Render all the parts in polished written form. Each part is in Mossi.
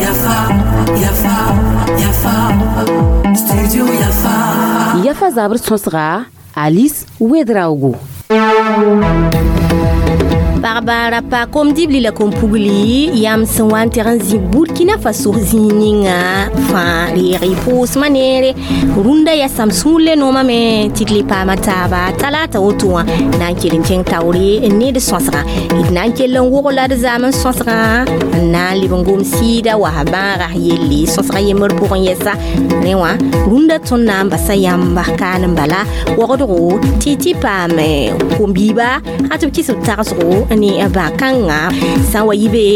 Yafa, Yafa, Yafa, Studio Yafa. Yafa zabr sõsga Alice Ouedraogo. Pagba ra pa kom-dibli la kom-pugli yam sẽn wa n teg n zĩ Burkina Faso zĩig ninga fãa reeg y pʋʋsmã neere rũndã yaa Samsũur le noomame tɩ d le paama taaba talaata woto wã na n kell n kẽng taoore ne d sõsgã d na n kell n wog la d zaam n sõsgã n na n leb n gom sɩɩda wa bãaga yelle sõsgã yembr pʋgẽ yɛsa rẽ wã rũndã tõnd na n basa yãmba kaan n bala wogdgo tɩ tɩ paam kom-biiba a tɩ b kɩs b tagsgo ne bã-kãngã sã n wa yɩ be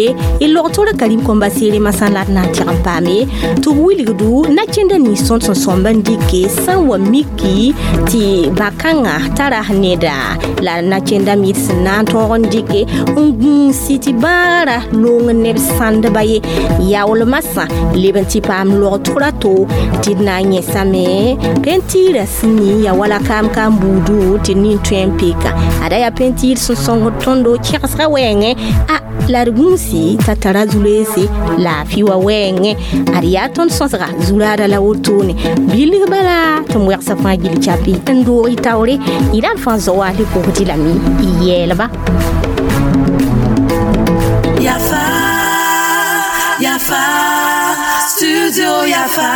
y log-tʋra karim kõmba seere masã la d na n tɩg n paame tɩ b wilgdu na-kẽndã nins tõnd sẽn sõmb n dɩke sã n wa miki tɩ bã-kãngã tara neda la na-kẽndã mid sẽn na n tõog n dɩke n gũusi tɩ bãagrã loong neb sãndba ye yaool masã leb n tɩ paam log-tʋra to tɩ d na n yẽsame pentiirã sẽn ning ya wala kaam-kaam buudu tɩ d nin tõe n peka ada yaa pentiir sẽn sõngd tõndo kẽgsga wɛɛngẽ a la d gũusi t'a tara zu-loeese laafɩ wa wɛɛngẽ ad yaa tõnd sõsga zuraada la wotone bilg bala tɩ m wɛgsa fãa gil chapi n doog y taoore y ra d fãa zao wa le pʋgdɩ lame y yɛɛlba. Yafa, Yafa, Studio Yafa.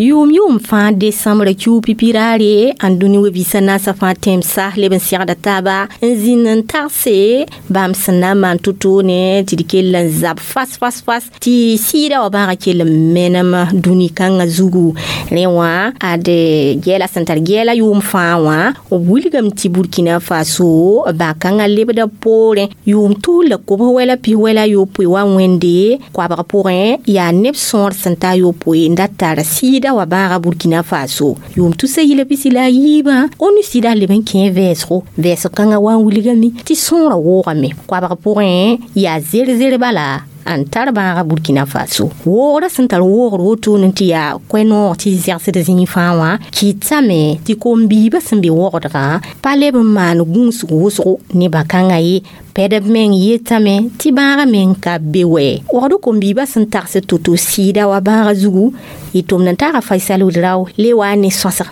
Yʋʋm yʋʋm fãa desãmbrã kiu pipiraare n dũni we-biisã naasã fãa tẽmsa leb n segda taaba n zĩnd n tagse bãmb sẽn na n maan to-toone tɩ d kell n zab fas fas fas tɩ sɩɩda wã bãaga kell n menem dũni kãngã zugu rẽ wã ad gɛɛla sẽn tar gɛɛla yʋʋm fãa wã b wilgame tɩ Burkina Faso bã-kãngã lebda poorẽ yʋʋm tus la kobs wɛla pis wɛla yopoe wa wẽnde koabg pʋgẽ yaa neb sõor sẽn ta yopoe n da tar sɩɩda wa bãaga Burkina Faso yʋʋm tusa yila pisi la a yiibã ONU sɩda leb n kẽ vɛɛsgo vɛɛsg kãngã wa n wilgame tɩ sõorã woogame koabg pʋgẽ yaa zer-zer bala n tar bãaga Burkina Faso woogrã sẽn tar woogr wotone tɩ yaa koɛ-noog tɩ zɛgsd zĩig fãa wã kɩtame tɩ kom-biibã sẽn be wogdgã pa leb n maan gũusg wʋsgo ne bã-kãngã ye pɛdb meng yetame tɩ bãagã meng ka be wɛ wogd kom-biibã sẽn tags to-to sɩɩda wa bãagã zugu y tʋmd n taaga Faisal Ouedrao le wa ne sõsg.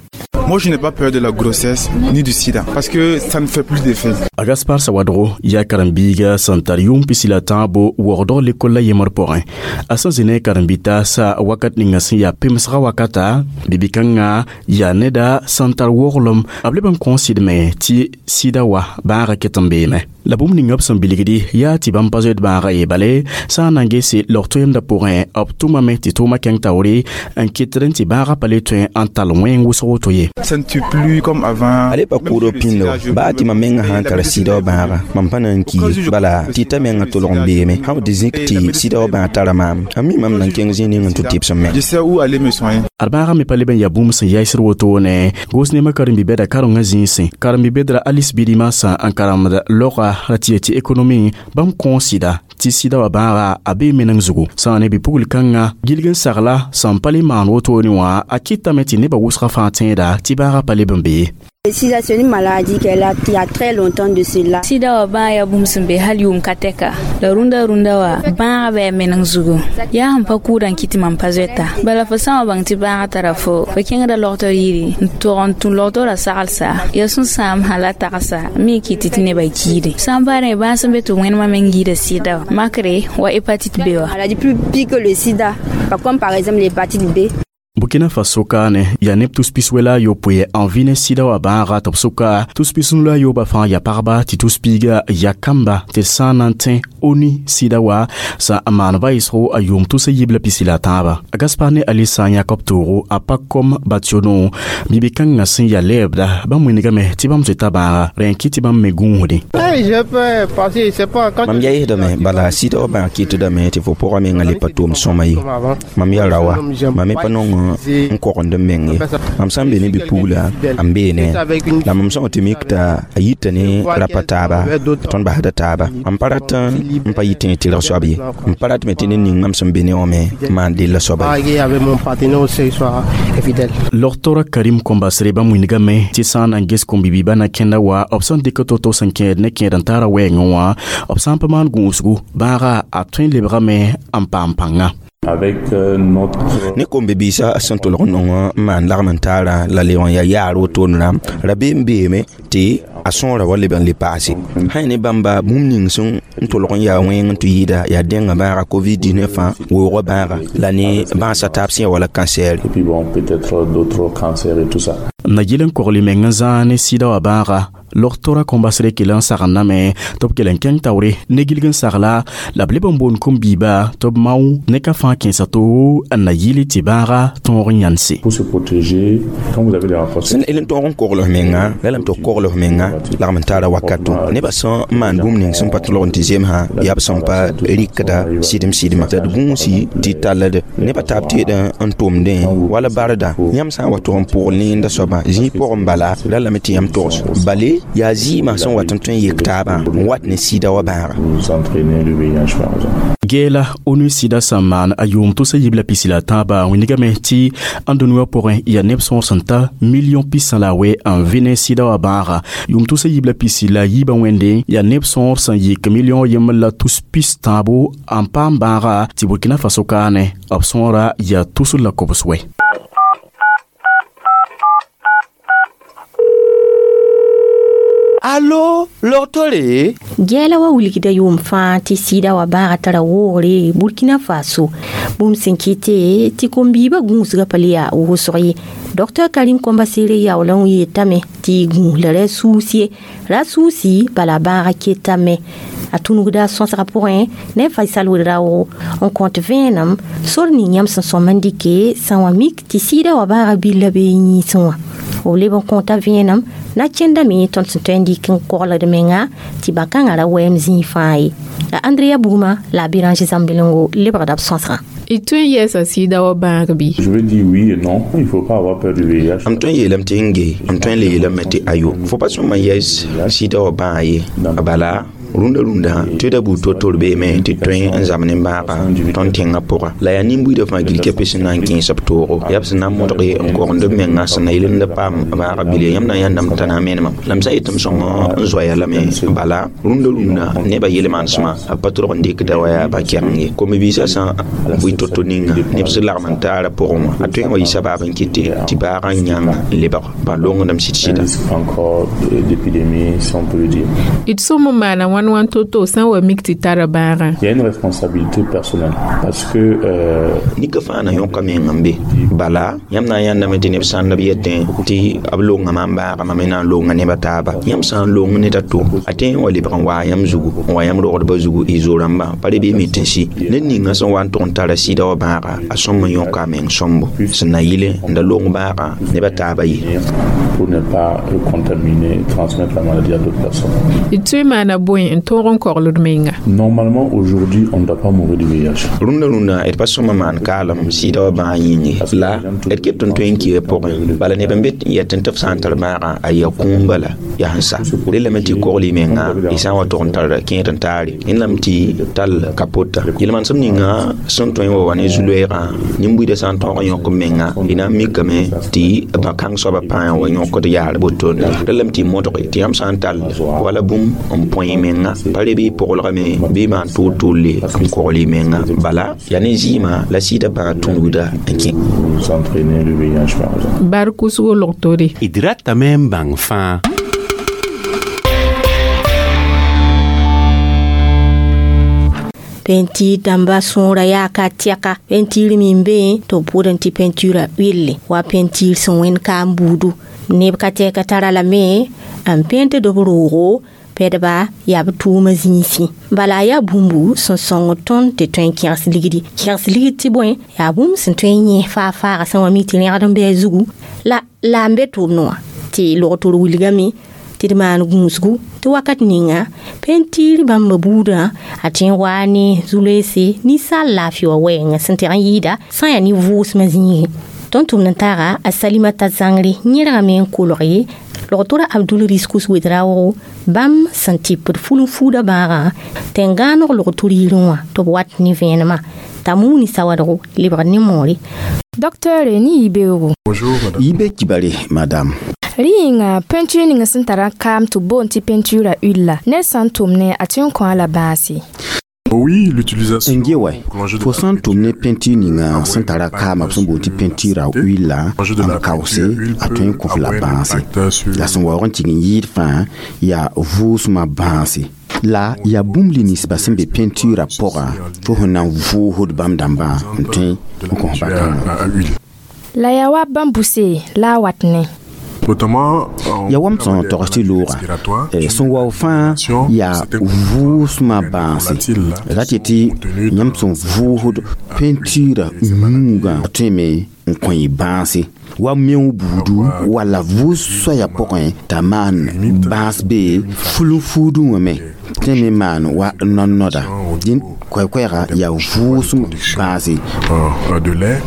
Moi, je n'ai pas peur de la grossesse ni du sida parce que ça ne fait plus d'effet. A Gaspar Sawadro yaa karen-biiga sẽn tar yʋʋm pisi la tãabo wogdg lekol la yembr pʋgẽ a sẽn zĩ ne karen-bi-taasa wakat ninga sẽn yaa pemsgã wakata bibi-kãngã yaa neda sẽn tar woglem b leb n kõ sɩdme tɩ sɩda wa bãagã ket n beeme la bũmb ninga b sẽn bilgdi yaa tɩ bãmb pa zoet bãagã ye bale sã n na n gese log-toeemdã pʋgẽ b tʋmame tɩ tʋʋmã kẽng taoore n kɩtd n tɩ bãagã pa le tõe n tall wẽng wʋsg woto ye. Ça ne tue plus comme avant. Ale pa kʋʋd pĩndo baa tɩ mam menga sã n tara sɩda wã bãaga mam pa na n ki bala tɩ t'a menga tolg n beeme sã b tɩ zĩk tɩ sɩda wã bãag tara maam a mi mam na n kẽng zĩig ning n tʋ tɩbsem me. Je sais où aller me soigner. Ad bãagã me pa leb n yaa bũmb sẽn yaɩsd wotone goos nemã karen-bi-bɛda karengã zĩisẽ karen-bi-bɛdra Alice Birima sã n karemd loga ra tɩ ye tɩ économie bãmb kõ sɩda tɩ sɩda wã bãaga a bee meneng zugu sã n ne bi-pugl kãngã gilg n sagla sẽn pa le maan wotone wã a kɩtame tɩ nebã wʋsgã fãa tẽeda tɩ bãagã pa leb n bee. Le sida, c'est une maladie qu'elle a il y a très longtemps de cela. Sida wa bãag yaa bũmb sẽn be hal yʋʋm ka tɛka la rũndã rũndã wa bãagã bɩ a meneng zugu yaa sẽn pa kʋʋda n kɩ tɩ mam pa zoeta bala fo sã n wa bãng tɩ bãagã tara fo fo kẽngda logtr yiri n tog n tũ logtorã sagelsa yaa sẽn sãam sã la tagsa mi kɩt tɩ nebã kiide sã n pa rẽ bãag sẽn be tɩ wẽnemã meng yɩɩda sɩda wa makre wa hépatite B wa. Maladie plus pire que le sida, comme par exemple l'hépatite B. Burkina Faso kaane yaa neb tus-pis wɛla a yopoe n vɩ ne sɩda wã bãaga tɩ b sʋka tus-pis la a yoobã fãa yaa pagba tɩ tus-piiga yaa kamba tɩ d sã n na n tẽ ONU sɩda wa sã n maan vaɩsgo a yʋʋm tus a yiib la pisi la a tãaba. Gaspar ne Ali sã n yãk b toogo a pa kom bationo bibi-kãngã sẽn yaa lɛɛbda bãmb wĩnigame tɩ bãmb zoeta bãaga rẽ n kɩt tɩ bãmb me gũusde. Mam yaɩsdame bala sɩda wã bãag kɩtdame tɩ fo pʋgã menga le pa tʋʋm sõma ye mam yaa raowa mam me pa nong n kogend m meng ye. Mam sã n be ne bi-pugla n bee ne la mam sã n tɩ mik t'a a yita ne rapa taaba tõnd basda taaba. Mam pa rat n pa yitẽ tɩrg soab ye. M pa ratme tɩ ned ning mam sẽn be ne wã me maan della soaba ye. Logtora Karim Kombasere bãmb wingame tɩ sã n na n ges kom-bibiibã na kẽnda wa b sẽn dɩk to-to sẽn kẽed ne kẽed n taara wɛɛngẽ wã, b sã n pa maan gũusgu bãaga a tõe n lebgame n paam pãnga. Ne kom-bibiisã sẽn tʋlg n nong n maan lagm n taara la le n yaa yaar wotone rãmb rabeem beeme tɩ a sõora wa leb n le paase. Sã ne bãmba bũmb ning sẽn n tʋlg n yaa wẽng n tɩ yɩɩda yaa dẽngã bãaga COVID-19 fãa weoogã bãaga la ne bãasa taab sẽn ya wala cancer. Na yɩl n kogl meng n zãag ne sɩda wã bãaga. Logtora Kombasre kell n sagendame tɩ b kell n kẽng taoore ne gilg n sagla la b leb n boond kom-biiba tɩ b mao ne ka fãa kẽesa to n na yɩl tɩ bãaga tõog n yãnse. Sẽn el n tõog n kogl f menga la lame tɩ kogl f menga lagm n taara wakato. Nebã sẽn n maan bũmb ning sẽn pa tʋlg n tɩ zemsã yaa b sẽn pa rɩkda sɩdem sɩdmã. Tɩ d gũusi tɩ talld nebã taab teed n tʋmdẽ wala barda. Yãmb sã n wa tʋg n pʋgl nenda soabã zĩig pʋgẽ bala la lame tɩ yãmb togs bale yaa zɩɩmã sẽn wat n tõe n yek taabã n wat ne sɩda wã bãaga. Geela ONU sɩda sẽn maan a yʋʋm tʋsa yib la pisi la tãabã wĩnigame tɩ ãndũniyã pʋgẽ yaa neb sõor sẽn ta million pisã la a wɛ n vɩ ne sɩda wã bãaga. Yʋʋm tʋsa yib la pisi la yiibã wẽnde yaa neb sõor sẽn yik million yembr la tus pis tãabo n paam bãaga tɩ Burkina Faso kaane b sõora yaa tusr la kobs wɛ. Allo, logtore? Gɛɛla wa wilgda yʋʋm fãa tɩ sɩda wa bãaga tara woogre Burkina Faso. Bũmb sẽn kɩte tɩ kom-biibã gũusgã pa le yaa wʋsg ye. Dr Karim Kombasere yaool n yeetame tɩ gũus la ra suus ye. Ra suusi bala bãaga ketame. A tũnugda sõsgã pʋgẽ ne Faisal Ouedraogo n kõt vẽenem sor ning yãmb sẽn sõm n dɩke sã wã mik tɩ sɩda wa bãaga billa bee yĩnsẽ wã. B leb n kõta vẽenem na kẽndame tõnd sẽn tõe n dɩk n kogld menga tɩ bã-kãngã ra wɛɛm zĩig fãa ye. La Andrea Bugma la a Béranger Zambelengo lebgda b sõsgã. Y tõe n yɛɛsa sɩda wã bãag bɩ? Je veux dire oui et non, il faut pas avoir peur du VIH. M tõe n yeelame tɩ n ge, m tõe n le yeelame tɩ ayo. Fo pa sõma n yɛs sɩda wã bãag ye. Bala rũndã rũndã tɩ da buud to-tor beeme tɩ tõe n zab ne bãaga tõnd tẽngã pʋga. La yaa nin-buiidã fãa gil kɛpɛ sẽn na n kẽes b toogo. Yaa b sẽn na n modg n kogend b menga sẽn na yel n da paam bãaga bile yãmb na n yãndame t'a na n menemã. La m sã n yetɩ m sõng n zoaya lame bala rũndã rũndã nebã yel-manesmã b pa tʋlg n dɩkda wa yaa ba-kɛgeng ye. Kom-biisã sã n bʋɩ to-to ninga neb sẽn lagm n taara pʋgẽ wã a tõe n wa yɩ sabaab n kɩte tɩ bãagã n yãng n lebg bã-longdem sɩd-sɩda. D sõm n maana wãn to-to sã n wa mik tɩ tara bãagã. Il y a une responsabilité personnelle parce que nika fãa na yõka meng n be bala yãmb na n yãndame tɩ neb sãnd b yetẽ tɩ b longa maam bãaga mam me na n longa nebã taaba. Yãmb sã n long ned a to a tõe n wa lebg n waa yãmb zugu n wa yãmb rogdbã zugu y zo-rãmbã pa re bɩ me tɩ sɩ. Ned ninga sẽn wa n tʋg n tara sɩda wã bãaga a sõm n yõka a meng sõmbo sẽn na yɩle n da long bãaga nebã taaba ye. Pour ne pas contaminer et transmettre la maladie à d'autres personnes. D tõe n maana bõe n tõog n kogl d menga? Normalement, aujourd'hui, on ne doit pas mourir du VIH. Rũndã rũndã d pa sõma maan kaalem sɩda wã bãag yĩnge la d ket n tõe n kɩa pʋgẽ. Bala neb n be yetẽ tɩ f sã n tar bãagã a yaa kũum bala yaa sẽn sa. Relame tɩ kogl y menga y sã n wa tʋg n tar kẽed n taare. Rẽnd lame tɩ tall kapota. Yel-manesem ninga sẽn tõe n wa wa ne zu-loeegã nin-buiidã sã n tõog n yõk b menga y na n mikame tɩ bã-kãng soabã pãa n wa yõkd yaar wotone. Relame tɩ modge tɩ yãmb sã n tall wala bũmb n põe y menga pa re bɩ pʋglgame bɩ maan tʋʋl-tʋʋlle n kogl y menga. Bala yaa ne zɩɩmã la sɩda bãag tũnugda n kẽ. Bar kʋsgo logtore. D ratame n bãng fãa. Peinture dãmba sõora yaa ka tɛka peinture me n be tɩ b pʋʋd n tɩ peinture wille wa peinture sẽn wẽnd kaam buudu neb ka tɛka tara lame n pente d b roogo pɛdba yaa b tʋʋma zĩisẽ. Bala yaa bũmbu sẽn sõng tõnd tɩ tõe n kẽgs ligdi. Kẽgs ligd tɩ bõe yaa bũmb sẽn tõe n yẽ faa-faaga sẽn wa mi tɩ rẽgd n bɩ a zugu la la n be tʋʋmd wã tɩ logtor wilgame tɩ d maan gũusgu tɩ wakat ninga peinture bãmba buudã a tõe n waa ne zu-loeese ninsaal laafɩ wã wɛɛngã sẽn tɩg n yɩɩda sã n yaa ne vʋʋsmã zĩigẽ. Tõnd tʋmd n taaga a Salimata Zãngre yẽrgame n kolg ye logtora Abdul Riskus Wedraogo bãmb sẽn tɩpd fulun-fuuda bãagã tẽn-gãaneg logtor yirẽ wã tɩ b wat ne vẽenemã t'a muuni sawadgo lebg ne moore. Docteur ni yibeoogo. Bonjour, madame. Yibe kibare, madame. Rɩ yĩnga peinture ning sẽn tara kaam tɩ b boond tɩ peinture a huile la ned sã n tʋm ne a tõe n kõ a la bãase. Oui, l'utilisation N ge wa fo sã n tʋm ne peinture ninga sẽn tara kaamã b sẽn boond tɩ peinture a huile la n kaoose a tõe n kõ f la bãase la sẽn waoog n tɩg n yɩɩd fãa yaa vʋʋsmã bãase la yaa bũmb li ninsba sẽn be peinture pʋga fo sẽn na n vʋʋsd bãmb dãmbã n tõe n kõs bakãngã. La yaa wa bãmbuse la a wat ne. Notamment yaa wa m sẽn togs tɩ looga sẽn wao fãa yaa vʋʋsmã bãase ra tɩ tɩ yãmb sẽn vʋʋsd peinture yũugã tõeme n kõ y bãase wa meo buudu walla vʋʋs soaya pʋgẽ t'a maan bãas be fulun-fuudũ wã me tõe me maan wa no-noda dĩn koɛɛ-koɛɛga yaa vʋʋsem bãase. De lait.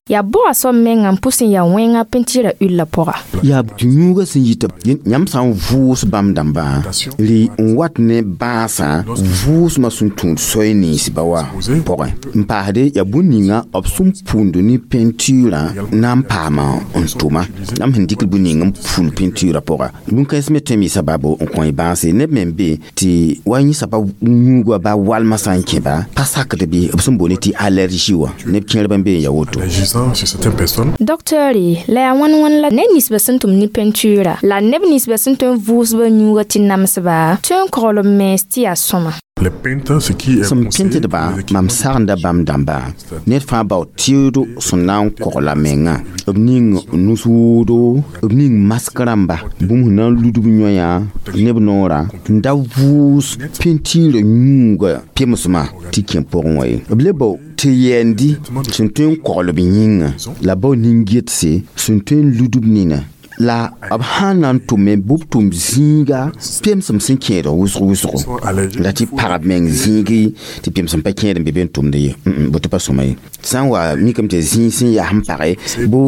Yaa bʋga soab menga n pʋs n yaa wẽnga peinture huile la pʋga. Yaa tɩ yũugã sẽn yita yãmb sã n vʋʋs bãmb dãmbã rɩ n wat ne bãasã vʋʋsmã sẽn tũud soy ninsba wã pʋgẽ n paasde yaa bũmb ninga b sẽn pũnd ne peinture na n paama n tʋma yãmb sẽn dɩk bũmb ning n pũnd peinture pʋga bũn-kãens me tõe n sababu n kõ y bãase neb me n be tɩ wa yẽ saba yũugã ba walmã sã n kẽba pa sakd bɩ b sẽn boond tɩ allergie wã neb kẽerb n be n ya woto. Chez certaines personnes. Docteur la yaa wãn wãn la ned ninsba sẽn tʋm ne peinture la neb ninsba sẽn tõe n vʋʋsba yũuga tɩ namsba tõe n kogl b mens tɩ yaa sõma. Les peintres, ce qui est sẽn pẽntdba mam sagenda bãmb dãmba ned fãa bao tɩʋʋdo sẽn na n kogla menga b ning nus-woodo b ning mask rãmba bũmb sẽn na n ludb yõya neb noorã n da vʋʋs peinture yũuga pemsmã tɩ kẽ pʋgẽ wã ye b le bao tɩ yɛɛndi sẽn tõe n kogl b yĩnga la bao nin-getse sẽn tõe n ludb nina la b sã n na n tʋme bɩ b tʋm zĩiga pemsem sẽn kẽed wʋsg wʋsgo la tɩ pagb meng zĩigi tɩ pemsem pa kẽed n be be n tʋmd ye boto pa sõma ye sã n wa mikame tɩ zĩig sẽn yaa sẽn page bɩ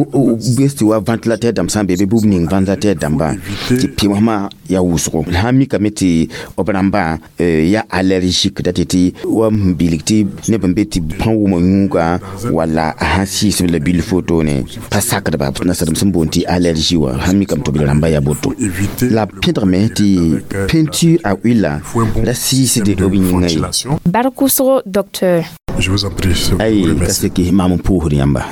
bes tɩ wa ventilateur dãmb sã n be be bɩ b ning ventilateur dãmbã tɩ pemsmã yaa wʋsgo la sã n mikame tɩ b rãmbã yaa allergique da tɩ tɩ wa n bilg tɩ neb n be tɩ pãn wʋma yũuga walla a sã sɩɩsb la bil fotone pa sakdba nasadem sẽn boond tɩ allergie wã sã mikame tɩ b rãmba yaa boto la pẽdgame tɩ peinture a huile la sɩɩsd b yĩnga ye. Bark wʋsgo docteur. Je vous en prie. Ay ka seki maam n pʋʋsd yãmba.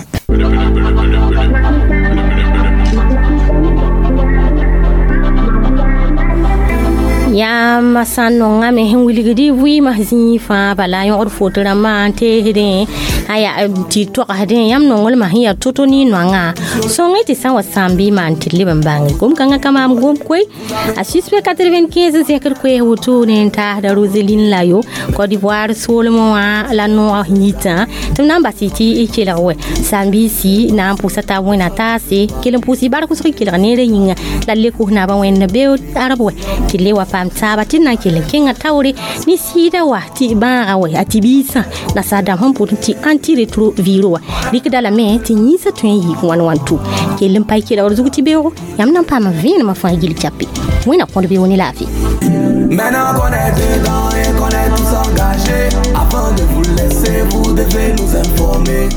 Yãmb sã n nongame sẽn wilgd y vɩɩmã zĩig fãa bala yõgd foto rãmbã n teesdẽ a yaa tɩ togsdẽ yãmb nonglmã sẽn yaa to-to ne noangã sõng tɩ sã n wa sãam bɩ maan tɩ d leb n bãnge gom-kãngã ka maam gom koe a suspect 95 n zẽkd koees wotone n taasda Roseline Layo Côte d'Ivoire soolmẽ wã la noog yitã tɩ b na n bas y tɩ y kelg wɛ sãam-biisi na n pʋsa tab wẽna taase kell n pʋʋs y bark wʋsg kelg neerã yĩnga la d le kos naabã wẽnd beood arab wɛ tɩ d le wa paam taaba tɩ d na n kell n kẽngã taoore ne sɩɩda wa tɩ bãaga wɛ a tɩ biisã nasaar dãmb sẽn pʋt tɩ antirétroviro wã rɩkda lame tɩ yĩnsã tõe n yɩ wãn wãn tʋ kell n pa y kelgr zug tɩ beoogo yãmb na n paama vẽenemã fãa gill chape wẽna kõd beoog ne laafɩ. Maintenant qu'on est dedans et qu'on est tous engagés, avant de vous laisser, vous devez nous informer.